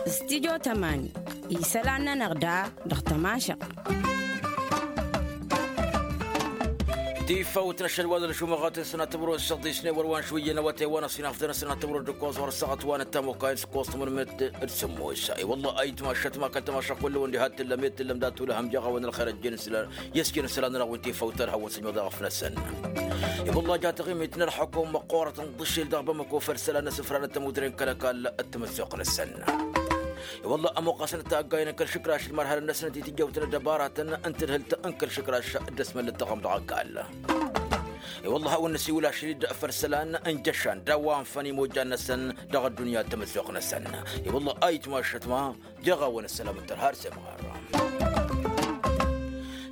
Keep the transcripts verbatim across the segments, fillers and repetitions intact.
Stidyo tămani isălan-nănăɣ da dăɣ-tămašăɣt. Tifawt n-ašăl wa d-ălžumăɣat n-sănat timǝrwen s-săḍisne wăr wa n-šuyyăn awătay wa n-ăṣinafdăn n-sănat timǝrwen d-ǝkkoẓ wăr săɣăt wa n-ăttamukayăn s-ǝkkoẓ timǝrwen d-sǝmmos. I-wălla a itmašăt ma kăl-tămašăɣ kull-wăn diha t-tǝllăm i-t-tǝllăm dat-tulăhăm jaɣ-awăn ălxer ăjjeen s-la. Iyyăs kănăsălan n-aɣwin tifawt talhăwăn s-ănyoḍ aɣăf-năsăn. I-wălla ja taɣimit n-ălxukum măqqoorăt n-ḍǝšil dăɣ-bamăko făll-isălan n-asǝfran n-tămudre n-kăl-ăkall d-tamăssoqt-năsăn. I-wălla ămoqqasăn ătaggay n-kăl-išǝkraš d-imarhalăn-năsăn d-itijăwt n-ăddăbaratăn n-tǝdhǝlt n-kăl-išǝkraš d-ăsmăllăt dăɣ-am dăɣ-ăkall. I-wălla a hawăn-năsiwǝl ašăl-dd făll-isălan n-jăšan d-a-wa ănfăn imojjan-năsăn dăɣ-ăddunya d-tamăssoqt-năsăn. I-wălla a itmašăt ma jăɣ-awăn ăssălam n-tărha ar s-emɣar.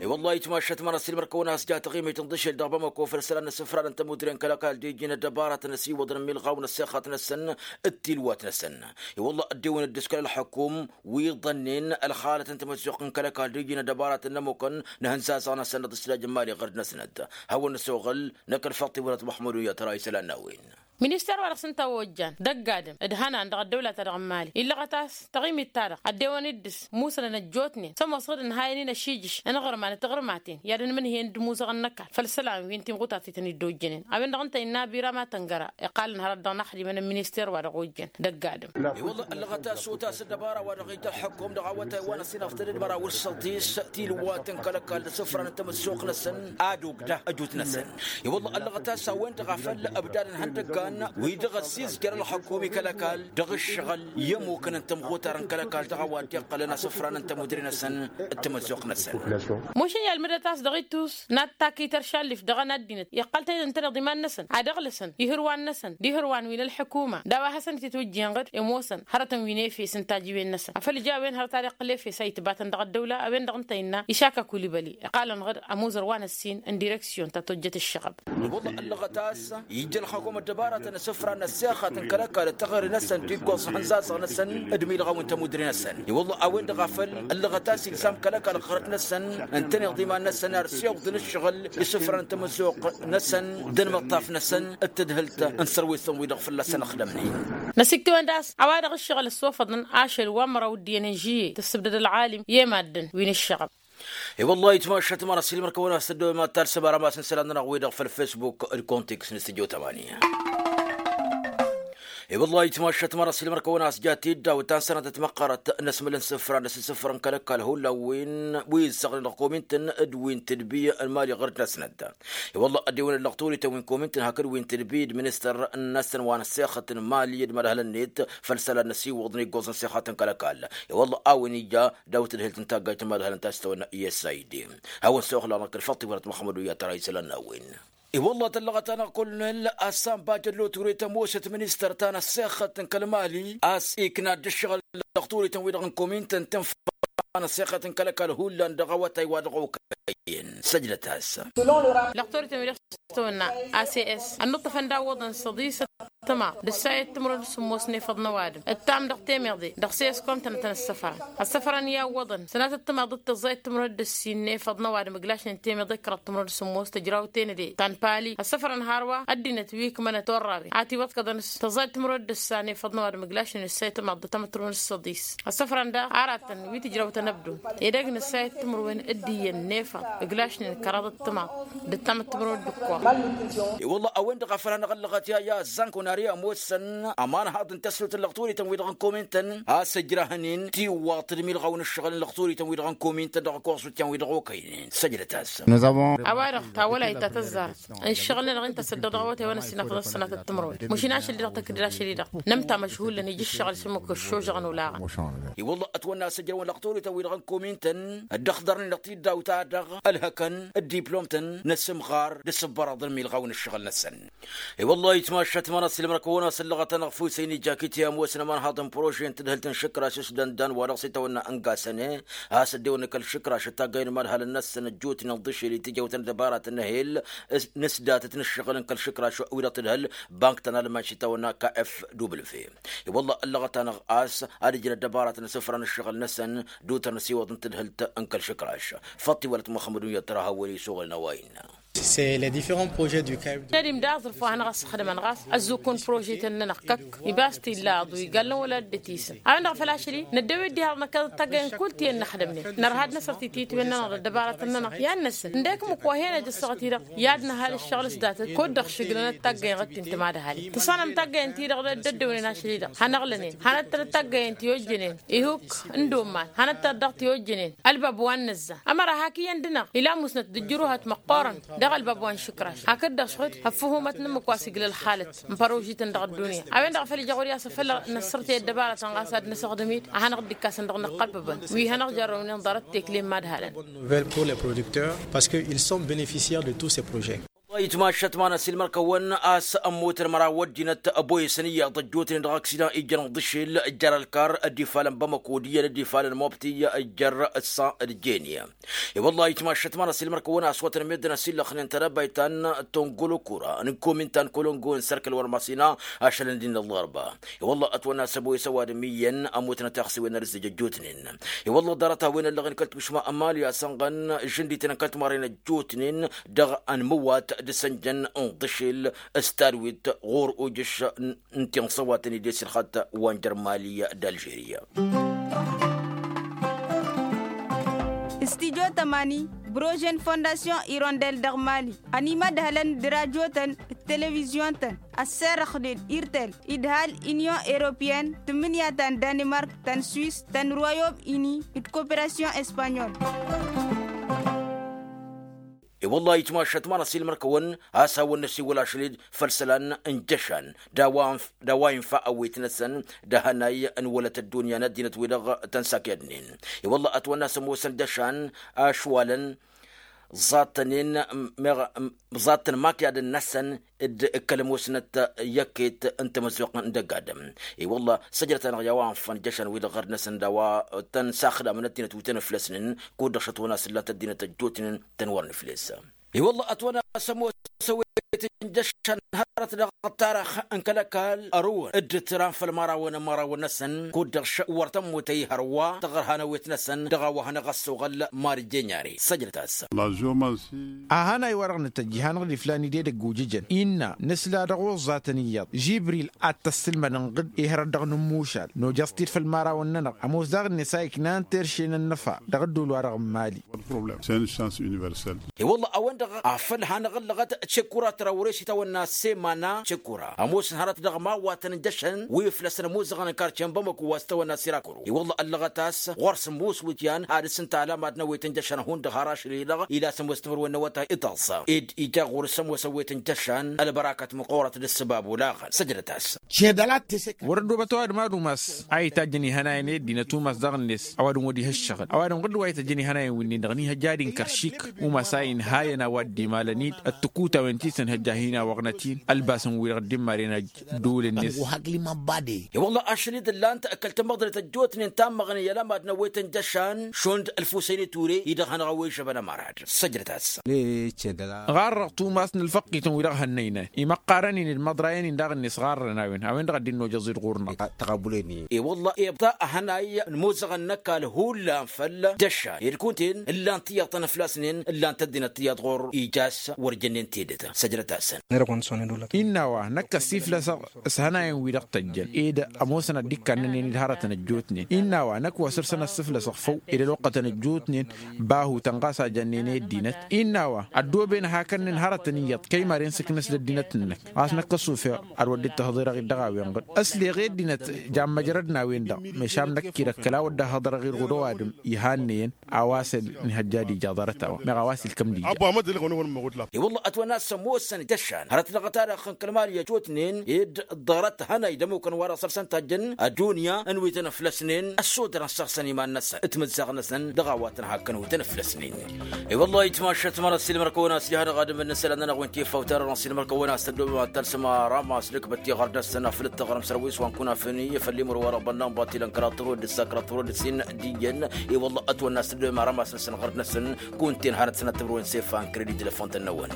I-wălla a itmašăt ma n-ăssiilmăr-kăwăn a-s ja taɣimit n-iḍǝšel dăɣ-bamăko făll-isălan n-asǝfran n-tămudre n-kăl-ăkall d-iji n-ăddăbaratăn ăsiwăḍăn ămmilɣaw n-ăssexăt-năsăn d-tilwat-năsăn. I-wălla ăddewăn dd-s kăl-ălxukum wi ḍănnen ălxalăt n-tamăssoqt n-kăl-ăkall d-iji n-ăddăbaratăn n-ămmukăn n-ihănzazăɣ-năsăn dăɣ-tǝslaj n-imali ɣărd-năsnăt. Hawăn-năsoɣăl n-akăl faḍt-i wăr-ătmaxmădun i-ad-tăra isălan n-a-wen. Minister wa dăɣ-s ǝnta a ojjan d-ăgg-adǝm d-hănan dăɣ-ăddăwla-ta-dăɣ n-imali illăɣăt-as taɣimit-ta-dăɣ ăddewăn-dd s-musănăn ăjjootnen s-ămoos ɣǝd ǝnhayăn-in ăšiijǝš n-aɣărman d-taɣrǝmaten i-ad-ănmǝnhăyăn d-imuzăɣăn n-ăkall făll-isălan wi n-timɣutat i-tăn-dd-ojjănen. A-wen-dăɣ ǝnta innă abira ma tăngăra iqqalăn hărăt dăɣ-inăxdimăn n-minister wa dăɣ-ojjăn d-ăgg-adǝm. I-wălla ăllăɣăt a-s otas ăddăbara wa dăɣ-ija ălxukum dăɣ-awătay wa n-ăsinăftă d-măraw d-săḍis tilwat n-kăl-ăkall d-asǝfran n-tamăssoqt-năsăn ad-ogda ăjut-năsăn. I-wălla ăllăɣăt a-s a-wen-dăɣ a făl ǝbdad n-ihăndăggan wi-dăɣ ăssiizjăr ălxukum i-kăl-ăkall dăɣ-ǝššăɣǝl i-ămmukăn n-tamɣutar n-kăl-ăkall dăɣ-a-wa dd-iqqălăn asǝfran n-tămudre-năsăn d-tamăzzuɣt-năsăn. Mušǝn i-almǝdăt a-s dăɣ-ittus n-ad-takităr šallif dăɣ-anăddinăt iqqăl tayăt ǝnta-dăɣ d-iman-năsăn ad-ăɣlǝsăn ihǝrwan-năsăn d-ihǝrwan wi n-ălḥukuma d-a-wa hasăn-ititwǝjjǝyăn ɣǝd ămoosăn hărătăn wi n-efes n-tajiwen-năsăn afăl ija a-wen hărăt ad-iqqǝl efes a itbatăn dăɣ-ăddăwla a-wen-dăɣ ǝnta innă išaka kulibăli iqqalăn ɣǝd ămuzăr wa n-ăssin n-direksyon ta tojjăt ǝššăɣăb. Wălla ăllăɣăt a-s ija ălxăkom ăddăbaratăn asǝfran n-ăssexăt n-kăl-ăkall d-taɣăre-năsăn d-iggoẓ n-ihănzazăɣ-năsăn d-imilɣaw n-tămudre-năsăn. I-wălla a-wen-dăɣ a făl ăllăɣăt a-s ilzam kăl-ăkall ɣărăt-năsăn ǝntăneḍ iman-năsăn ar s-iwǝḍăn ǝššăɣǝl isǝfran n-tamăzzuɣt-năsăn d-ănmăṭṭaf-năsăn d-tadhǝlt n-sărwesăn-wi-dăɣ fălla-săn ăxdămnen. Năsiktǝwăn d-a-s a-wa-dăɣ ǝššăɣǝl ăssofăḍăn ašăl wa n-măraw d-iyyăn n-žiyye tǝssǝbdăd ălɣalim i-maddǝn wi n-ǝššăɣăb. I-wălla a itmašăt măra s-ilmăr-kăwăn a-s tăddoy ma talsăm ara ma s-n-isălan-nănăɣ wi-dăɣ făll-facebook d-kontiks n-studio tămani. I-wălla a itmašăt măra s-ilmăr-kăwăn a-s ja tiddaw ta n-sănatăt măqqărăt n-asmăl n-sǝfra n-asǝsǝfrăn kăl-ăkall hullan wi n-wi ǝzzăɣnen dăɣ-komintăn d-wi n-tedbi n-mali ɣăr-dd n-asnăt. I-wălla ăddewăn-dd lăɣturităn wi n-komintăn hakd wi n-tedbi d-ministăr n-asăn wa n-ăssexăt n-mali d-imadhălăn-net făll-isălan n-asiwǝḍ n-iggoẓ n-sexăt n-kăl-ăkall. I-wălla a-wen ija daw-tǝdhǝlt n-taggayt n-imadhălăn ta s-tawănna i-s a i d. Hawăn-săwăxlaɣ n-kăl-faḍt-i wăr-ătmăxmădu i-ad-tăra isălan n-a-wen. I-wălla tăllăɣăt-anăɣ kull-nǝl a-s anba jăllo ture tămoosăt ministăr ta n-ăssexăt n-kăl-mali a-s ikna dd-ǝššăɣǝl lăɣturităn-wi-dăɣ n-komintăn tǝnfa n-ăssexăt n-kăl-ăkall hullan dăɣ-awătay wa dăɣ-okăyăn săjdăt-as. Lăɣturităn-wi-dăɣ s-tăwănna a s s ănnuṭṭăfăn d-awwăḍăn s-ăḍisăt tămaḍ d-ǝssayăt timǝrwen d-sǝmmos n-efăḍ n-ăwadǝm ǝttam dăɣ-temeḍe dăɣ-s i-s komtăn ad-tăn-ăssăfrăn. Ăssăfrăn i-awwăḍăn sănatăt tămaḍ d-tăẓẓayăt timǝrwen d-ǝssin n-efăḍ n-ăwadǝm ǝglašnen temeḍe kăraḍ timǝrwen d-sǝmmos tăjraw tenăde ta n-pali ăssăfrăn hărwa ăddinăt wi ǝkmănăt orrawen a tiwăḍkăḍăn s-tăẓẓayăt timǝrwen d-ǝssan efăḍ n-ăwadǝm ǝglašnen ǝssayăt tămaḍ d-ăttamăt timǝrwen d-săḍis. Ăssăfrăn daɣ aratăn wi tǝjraw tănăbdun edăgg n-ǝssayăt timǝrwen d-iyyăn n-efăḍ ǝglašnen kăraḍăt tămaḍ d-ăttamăt timǝrwen d-ǝkkoḍ. I-wălla a-wen-dăɣ a făl hanăɣ-ăllăɣăt i-a ăzzanko n-ar i-ămoosăn ămanhaḍ n-tăsnut n-lăɣturităn-wi-dăɣ n-komintăn a-s ǝjrahăn-in tiwwaḍt d-imilɣaw n-ǝššăɣǝl n-lăɣturităn-wi-dăɣ n-komintăn dăɣ-ăkoẓutyan-wi-dăɣ okăynen săjdăt-as. A-wa-dăɣ tawălayt ta tăzzarăt ǝnšăɣǝl-nănăɣ-in tăsăddăɣ dăɣ-awătay wa n-ăssinăfăḍ s-sănatăt timǝrwen mašin ašăl-di-dăɣ tăkdăr ašăl-i-dăɣ nǝmta măšhulăn ija ǝššăɣǝl s-ǝmmǝk ăššožăɣăn olaɣăn. I-wălla ătwănna a-s ǝjrăwăn lăɣturităn-wi-dăɣ n-komintăn dd-ăxḍărnen dăɣ-tiddaw-ta-dăɣ ălhăkăn d-diplomtăn n-asǝmɣar d-asǝbbărăḍ n-imilɣaw n-ǝššăɣǝl-năsăn. I-wălla-hi ătmašăt ma n-asǝlmăr-kăwăn a-s ăllăɣăt-anăɣ fusăy n-ijakit i-ămoosăn ămanhaḍ n-prože n-tǝdhǝlt n-išǝkraš s-dăndan wa dăɣ-s itawănna n-gasăne a-s ăddewăn kăl-išǝkraš d-taggay n-imadhalăn-năsăn ăjjootnen ăḍḍišel i-tijăwt n-ăddăbarat n-ehel n-asdatăt n-ǝššăɣǝl n-kăl-išǝkraš wi-dăɣ tǝdhǝl bank ta n-alman s-itawănna kfw. I-wălla ăllăɣăt-anăɣ a-s ad-ǝjǝn ăddăbarat n-asǝfra n-ǝššăɣǝl-năsăn d-utăr n-asiwăḍ n-tǝdhǝlt n-kăl-išǝkraš. Făṭṭ-i wălăt muxămmăd unyăt tăra hawăn-isuɣǝlăn a-wa innă. C'est les différents projets du cahier. Tădim d-aẓrǝf wa hanăɣ-ăssăxdămăn ɣas ăzzukun prožetăn-nănăɣ kăkk ibas tillaḍ wi gallăn wăla dd-tisǝm a-wen-dăɣ făl ašăl-i năddăwit dihaḍ năkkăḍăt taggăyăn kull ti ănnăxdămnen nărha ad-năsăr tititwen-nănăɣ d-ăddăbaratăn-nănăɣ i-ad-năssǝl ǝndek mǝkk wa hen-ăj ăssaɣăt-i-dăɣ i-ad-năhal ǝššăɣǝl s-datăt kud-dăɣ šǝglănăt taggăyăn ɣǝd-t-in tămadhalăn tǝṣṣănăm taggăyăn-ti-dăɣ dd-ăddewnen ašăl-i-dăɣ hanăɣlănen hanăt-tănăt taggăyăn ti ojjănen ihuk n-dumman hanăt-tănăt dăɣ-ti ojjănen ălbab wa n-nǝzza ămăra hak iyyăn dăɣ-năɣ ila musnăt d-ǝjjǝruhăt măqqoorăn dăɣ-ălbab wa n-išǝkraš hakd-dăɣ šăɣ-dd ăffǝhumăt n-ǝmmǝk wa s-iglă ălxalăt n-părožităn dăɣ-ăddunya a-wen-dăɣ a făl ija ɣur-i a-s a făl năssărtăy ăddăbarătăn ɣas ad-năsăɣdăm-dd a hanăɣ-dd-ikkasăn dăɣ-năqqălbăbăn wi hanăɣ-jarrăwnen ḍarăt tekle n-imadhalăn. Nouvelle pour les producteurs parce que ils sont bénéficiaires de tous ces projets. Itmašăt ma n-asilmăr-kăwăn a-s ămmutăn măraw ăddinăt ăboyăsăn iyyăḍ ăjjootnen dăɣ-aksidan ijjăn ǝḍǝšel jar ălkar ăddifalăn bamăko d-iyyăn ăddifalăn mobti jar ǝssa d-jeni. I-wălla-hi itmašăt ma n-asilmăr-kăwăn a-s wătăn meddǝn ăsillăxnen tadăbayt ta n-tongolokura n-komin ta n-kolongo n-sărkăl wăr măsina ašălăn d-innă ăllarba. I-wălla ătwănna s-ăboyăs ăwadǝm iyyăn ămmutnăt i-aɣsiwen n-ad-ǝzzǝj ăjjootnen. I-wălla ḍarăt-a-wen ăllăɣen kăl-tušma ămali a-s ănɣăn žǝndităn n-kăl-timarren ăjjootnen dăɣ-ănmǝwat d-asănjăn n-iḍǝšel s-tadwit ɣur-ujǝš n-tinṣăwatăn-i d-esilxăt wa n-jăr mali d-alžeriya. Studyo tămani brožen fondasyon irondel dăɣ-mali ănimădhălăn d-rajotăn d-televizyon-tăn ăsserăxnen irtel idhal inyon eropeyăn tǝmmǝnǝya ta n-danimark ta n-swis ta n-royom ini d-koperasyon espanyol. I-wălla-hi itmašăt ma n-asilmăr-kăwăn a-s hawăn-năsiwăl ašăl-dd făll-isălan n-jăšan d-a-wa infa ăwwet-năsăn d-ahănay n-wălăt ăddunya n-ăddinăt-wi-dăɣ tăn-sakyadnen. I-wălla ătwănna a-s ămoosăn jăšan ašwalăn ẓattănen meɣ ẓattăn makyadăn-năsăn d-kăl-ămoosnăt i-ăkket n-tamăzzuɣt n-dăgg-adǝm. I-wălla săjdăt-anăɣ i-a-wa ănfăn jăšan-wi-dăɣ ɣărd-năsăn d-a-wa tăn-saxdamăn ăddinăt wi tăn-ǝflăsnen kud-dăɣ šăt wănna s-ǝllan-t ăddinăt ăjjootnen tăn-wăr nǝfles. I-wălla ătwănna a-s ămoos ăwwet n-jăšan hărăt dăɣ-ăṭṭarăx n-kăl-ăkall ărǝwăn dd-tǝran făll-imărawăn n-imărawăn-năsăn kud-dăɣ wăr tămmut ăyy hărwa tăɣrăha n-ăwwet-năsăn dăɣ-a-wa hanăɣ-ăssoɣăl mari jănyare săjdăt-as. A hanay-wa-dăɣ nǝtăjj i-hanăɣ-dd-iflan-dd edăgg ujǝjăn innă nǝsla dăɣ-oẓẓatăn iyyăḍ žibril ad-t-ăssǝlmădăn ɣǝd. Ihărăt dăɣ-inǝmmušal nojăẓ-t-dd făll-imărawăn-nănăɣ ămoos daɣ-net a iknan terše n-ănnăfa dăɣ-ădduul-wa-dăɣ n-mali. I-wălla a-wen-dăɣ a făl hanăɣ-ǝllăɣăt cekura tăra wăr-e s-itawănna semana cekura ămoosăn hărăt dăɣ-imawwatăn n-jăšăn wi ǝflăsăn ămuzăɣăn n-karce n-bamăko wa s-itawănna sirakuru i-wălla ăllăɣăt a-s ɣur-s ămoos wǝtyan ad-dăr-s ǝnta ălamad n-ăwwet n-jăšăn hundăɣ har ašăl-i-dăɣ ila s-ămoos timǝrwen n-awătay d-taẓẓa ed ija ɣur-s ămoos ăwwet n-jăšan ălbărakăt măqqoorăt d-ǝssǝbab olaɣăn săjdăt-as. Wăr-ăddoobăt ăwadǝm ad-umas a itajjăn ihănayăn i-ăddinăt umas daɣ-net ăwadǝm wăr dd-ihăššăɣăn ăwadǝm ɣǝdd wa ităjjăn ihănayăn wi-nin-dăɣ n-ihăjja ad-inkăr šik umas a inhayăn a-wa dd-imalăn-dd ăttǝkuta-wen-ti s-ănhăjja hin-awăɣnăt-in ălbasăn-wi-dăɣ dd-imaren ăjj. Ăggu hakli măbbade. I-wălla ašăl-i-dd ǝllan-t kăl-tamăḍnet ăjjootnen tammăɣnen i-ălămad n-ăwwet n-jăšan šund ălfusăyni ture-i-dăɣ hanăɣ-ăwwejăbăn ămărad. Săjdăt-as. Ɣarrăɣ tumas n-ǝlfăqqităn wi-dăɣ hănnăynay imăqqarăn-in d-imăḍrayăn-in daɣ-net ɣarrăn a-wen a-wen-dăɣ a dd-innojăẓ-dd ɣur-năɣ. Tăɣabulăyni. I-wălla ibta ăhănay n-imuzăɣăn n-ăkall hullan făll-jăšan ed kunta-en ǝllan tiyyăḍ tăn-ǝflasnen ǝllan-t ăddinăt tiyyăḍ ɣur-ija a-s wăr jănnen tedăt. Săjdăt-asăn. Innă a-wa năkk ăssiflăsăɣ s-hănayăn-wi-dăɣ tăjjăn ed ămoosăn ad-dd-ikkannănen d-hărătăn ăjjootnen innă a-wa năkk wa săr-săn ăssiflăsăɣ făw ed ăloqqătăn ăjjootnen bahu tănɣas a jănnen i-ăddinăt. Innă a-wa ăddooben hakănnen hărătăn iyyăḍ kăy-maren s-ǝknăs d-ăddinăt-năk ɣas năkk ăṣṣufeɣ ad-wăr dd-tăhḍereɣ-dd dăɣ-a-wen-dăɣ ăsleɣ i-ăddinăt jammăjrădăn a-wen-dăɣ. Mešan năkk-i-dăɣ kăla wăr dd-ăhhăḍărăɣ-dd ɣud-ăwadǝm ihannăyăn a-wa s-ănhăjja ad-ija ḍarăt-a-wa meɣ a-wa s-ilkăm d-ija. I-wălla ătwănna a-s ămoosăn d-ăššan hărăt dăɣ-tadăɣ n-kăl-mali ăjjootnen ed ḍarăt hănay d-ămukăn wa dăɣ-săr-săn tajjăn ăddunya n-wi tăn-ăflăsnen ăssodărăn săr-săn iman-năsăn timǝzzaɣ-năsăn dăɣ-a-wa tăn-hakkăn wi tăn-ăflăsnen. I-wălla-hi itmašăt măra s-ilmăr-kăwăn a-s ija-hanăɣ-adǝm n-isălan-nănăɣ wi n-tifawt-ta-dăɣ n-asilmăr-kăwăn a-s tăddoobăm ad-talsăm aramma s-nǝkbăt tiɣăr-năsăn aflǝt taɣrăm săr-wi s-wa n-kunafăn i-făll-imǝrwa dăɣ-bănna n-batilăn kăraḍ tărwăd d-ǝssa kăraḍ tărwăd d-sin d-iyyăn. I-wălla ătwănna a-s tăddoobăm aramma s-năsăn ɣărd-năsăn kunta-en hanăt-sănăt timǝrwen s-efan kredi telefon-tăn-năwăn.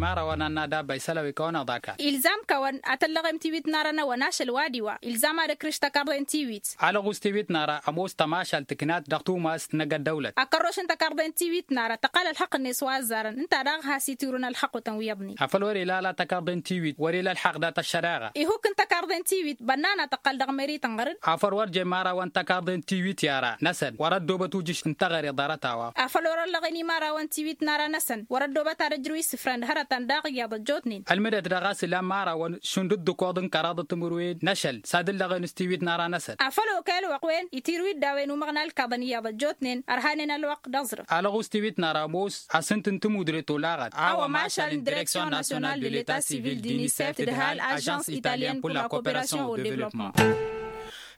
Ara wa n-anna dabba isălăwikăwăn ăḍaka. Ilzam-kăwăn ad-tăllăɣem tiwit n-ara n-awăn ašăl wa d-iwa ilzam ad-ǝkrǝš takarḍe n-tiwit. Alăɣus tiwit n-ara ămoos tămašalt tǝknat dăɣ-tumast n-egg ăddăwlăt. Akărroš n-takarḍe n-tiwit n-ara tăqqal ălxăqq-net wa ăzzarăn ǝnta daɣ has-itirǝwăn ălxăqq-wătăn wi iyyăḍnen. Afăl wăr-ila ala takarḍe n-tiwit wăr-ila ălxaqq dat-ăššăreɣa. Ihuk n-takarḍe n-tiwit bănnana tăqqal dăɣ-meri tănɣăr-dd. Afăl wăr jemmărawăn takarḍe n-tiwit i-ara-năsăn wăr-ăddoobăt ujǝš n-teɣăre ḍarăt-a-wa. Afăl wăr-ăllăɣen imărawăn tiwit n-ara-năsăn wăr-ăddoobăt ad-ăjrǝw isǝfran d-hărătăn daɣ iyyăḍ ăjjootnen. Ălmǝdăt dăɣ-a-s ilan imărawăn šund d-ǝkkoḍ n-kăraḍăt timǝrwen n-ašăl s-ad-ǝllăɣen s-tiwit n-ara-năsăn. Afăl okăyăl wăqq-wen itirǝw-dd a-wen umăɣna ǝlkaḍăn iyyăḍ ăjjootnen ărhanen ălwăqq d-aẓrǝf. Alăɣus tiwit n-ara ămoos asǝnt n-timudre tolaɣăt a-wa mašal n-direksyon nasyonal de leta sivil d-inisef tǝdhal ažans italyen pur la koperasyon o devlopman.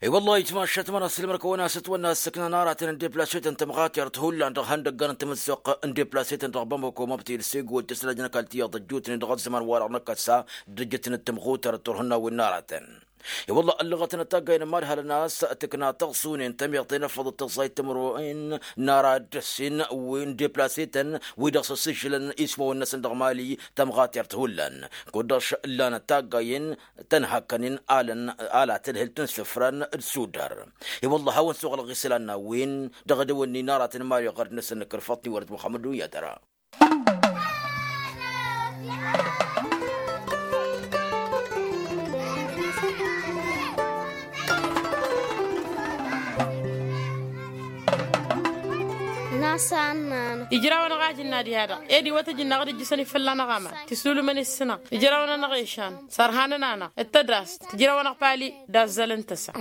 I-wăllah itmašat mănăs ǝlmăr-kăwăn a-s ătwănna ăssăkna n-aratăn n-deplasetăn tămɣatert hullan dăɣ-ihăndăggan n-tamǝzzuɣt n-deplasetăn dăɣ-bamăko măbtǝl segu ăjjăsnăjnăk altiyyăḍ ăjjootnen dăɣ-ăzzăman-wa-dăɣ n-akăsa d-ǝjjǝtnăt tămɣutăr d-turhǝnnawen n-aratăn. I-wăllah ăllăɣătăn ătaggay n-imadhalăn a-s tǝkna tăɣsune n-temiḍt i-inǝfăḍ d-tăẓẓayt timǝrwen n-ara dd-ăssin wi n-deplasetăn wi-dăɣ s-ăssižǝlăn ismawăn-năsăn dăɣ-mali tămɣatert hullan. Kud-dăɣ š-ǝllanăt taggayen tăn-hakkănen alăn ala tadhǝlt n-isǝfran d-sudar. I-wăllah a-wen suɣǝlăɣ isălan n-a-wen dăɣ-edăwănni n-aratăn mali ɣărd-năsăn n-kăl-făṭni wăr-dd muxămmăd dunyadăra. Ijrawăn-ăɣ ajǝnna diha-dăɣ ed iwăt ajǝnna ɣǝd ǝjjǝsăn ifălla-năɣ aman tisdulǝmăn issǝnăɣ ijrawăn-anăɣ ešan sărhanăn-anăɣ d-tădast tǝjrawăn-ăɣ pali d-azzăl n-tăsa.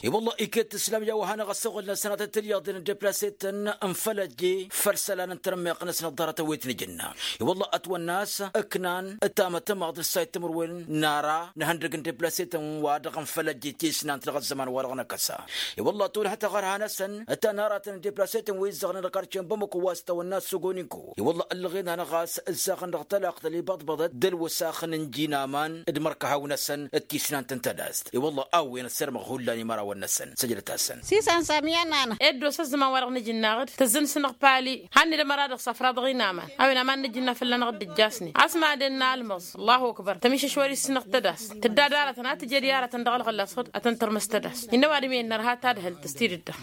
I-wălla iket tǝslam i-a-wa hanăɣ-ăssoɣǝl-năsăn ad-tăt-tǝlyaḍen n-deplasetăn n-fălăjje făll-isălan n-tărmeɣt-năsăn ăḍḍarătăn wi t-nǝjǝnna. I-wălla ătwănna a-s ǝknan ǝttamăt ămaḍ d-ǝssayǝt timǝrwen n-ara n-ihăndăg n-deplasetăn-wa-dăɣ n-fălăjje tisnant dăɣ-ăzzăman-wa-dăɣ n-akăsa. I-wălla tolhăt aɣărha-năsăn ǝtanaratăn n-deplasetăn wi ǝzzăɣnen dăɣ-karce n-bamăko wa s-tawănna s-sogoninko. I-wălla ăllăɣen-anăɣ a-s ǝzzaɣăn dăɣ-talăɣt ălibăḍbăḍăt d-ălwăsax n-inji n-aman d-mărkăhaw-năsăn d-tisnant n-tadast. I-wălla a-wen ăssirmăɣ hullan imărawăn-năsăn săjdăt-asăn. S-isan samiyan-anăɣ. Ed dd-osa ăzzăman-wa-dăɣ n-ajǝnnaɣ-dd tăzzăn-săn dăɣ-pali. Hanned ămăra dăɣ-safra dăɣ-inaman a-wen aman n-ajǝnna fălla-năɣ dd-ǝjjasnen a-s madăn n-almăẓ. Ăllahu ăkbăr tămišăš wăr-issǝnăɣ tadast tǝdda d-aratăn a tǝjăd i-aratăn dăɣ-ălɣăllasăɣ-dd ad-tăn-tărmǝs tadast. Innă ăwadǝm-i ănnărha tadhǝlt s-tidǝdda.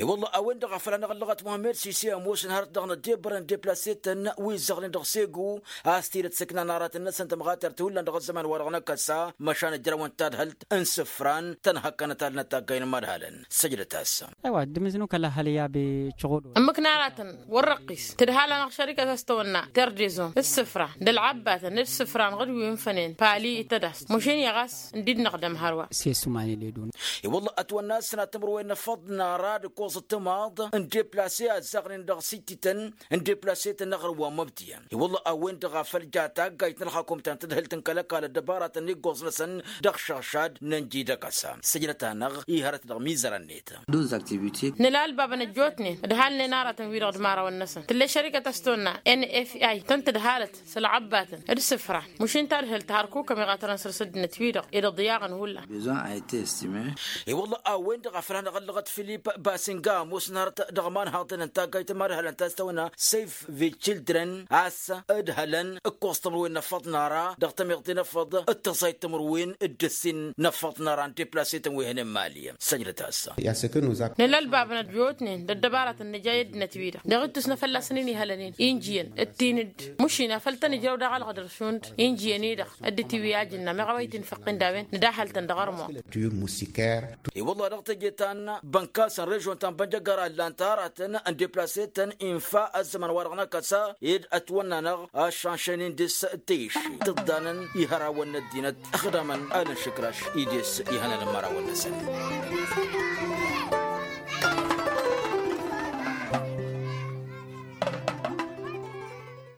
I-wălla a-wen-dăɣ a făl hanăɣ-ăllăɣăt muhămmed sise ămoosăn hărăt dăɣ-năddebbărăn deplasetăn wi ǝzzăɣnen dăɣ-segu a-s tidǝt sǝknan aratăn-năsăn tămɣatert hullan dăɣ-ăzzăman-wa-dăɣ n-akăsa. Măšan ǝjrăwăn tadhǝlt n-isǝfran tăn-hăkkănăt alnăt taggay n-imadhalăn. Săjdăt-as. Ăwa dd-imǝznu kăla hal i-abe căɣodo. Ǝmmǝk n-aratăn wăr-răqqis tǝdhal-anăɣ šărikăt a-s tăwănna terdezo d-isǝfra d-ălɣăbbatăn d-isǝfra n-ɣǝd wi ǝnfănen pali d-tădast mušin-i ɣas. Ǝndidnăɣ d-ămhărwa. S-e-s uman iledun. I-wălla ătwănna a-s sănatămrăwen n-afăḍ n-ara d-ǝkkoẓăt timaḍ n-deplase a ǝzzaɣnen dăɣ-sitităn n-deplase-tăn n-aɣrǝm wa n-măbtiyăn. I-wălla a-wen-dăɣ a făl ja taggayt n-ălxakum ta n-tadhǝlt n-kăl-ăkall ăddăbaratăn n-iggoẓ-năsăn dăɣ-išăɣšad n-ănji d-akăsa săjdăt-anăɣ. Ih' hărăt dăɣ-mizărăn-net. Nǝla ălbabăn ăjjootnen ǝdhalnen aratăn-wi-dăɣ d-imărawăn-năsăn tǝll'-e šărikăt a-s tăwănna n f i tăn-tǝdhalăt s-ălɣăbbatăn d-isǝfran mušin tadhǝlt har kukăm iɣatărăn săr-s ăddinăt-wi-dăɣ ed ăḍyaɣăn hullan. I-wălla a-wen-dăɣ a făl hanăɣ-ăllăɣăt filip basinga ămoosăn hărăt dăɣ-imanhaḍăn n-taggayt n-imadhalăn ta s-tăwănna sef vid children a-s ǝdhălăn ǝkkoẓ tămărwen n-afăḍ n-ara dăɣ-tămiḍt i-năfăḍ d-tăẓayt tămărwen d-ǝssin n-afăḍ n-ara n-deplase-tăn wi hănen mali. Săjdăt-as. Nǝla ălbabăn ăjjootnen d-ăddăbaratăn nǝja i-ăddinăt-wi-dăɣ dăɣ-ittus n-afălla-săn-in ihălănen injiyăn d-tin-dd mušin afăl tăn-ijrăw daɣ ălɣădăr šund injiyăn-i-dăɣ. Dd-tiwǝy ajǝnna meɣ a-wa itinfăqqin d-a-wen nǝdahăl-tăn dăɣ-armo. I-wălla dăɣ-teje ta n-bănkas n-režon ta n-bănjăggăra ǝllan-t aratăn n-deplase-tăn infa ăzzăman-wa-dăɣ n-akăsa ed ătwănna-năɣ ăššanšăynen dăɣ-s tăyš tǝḍḍanăn ihărawăn n-ăddinăt ăxdamăn alăn-šǝkraš. Ides ihănăn n-imărawăn-năsăn.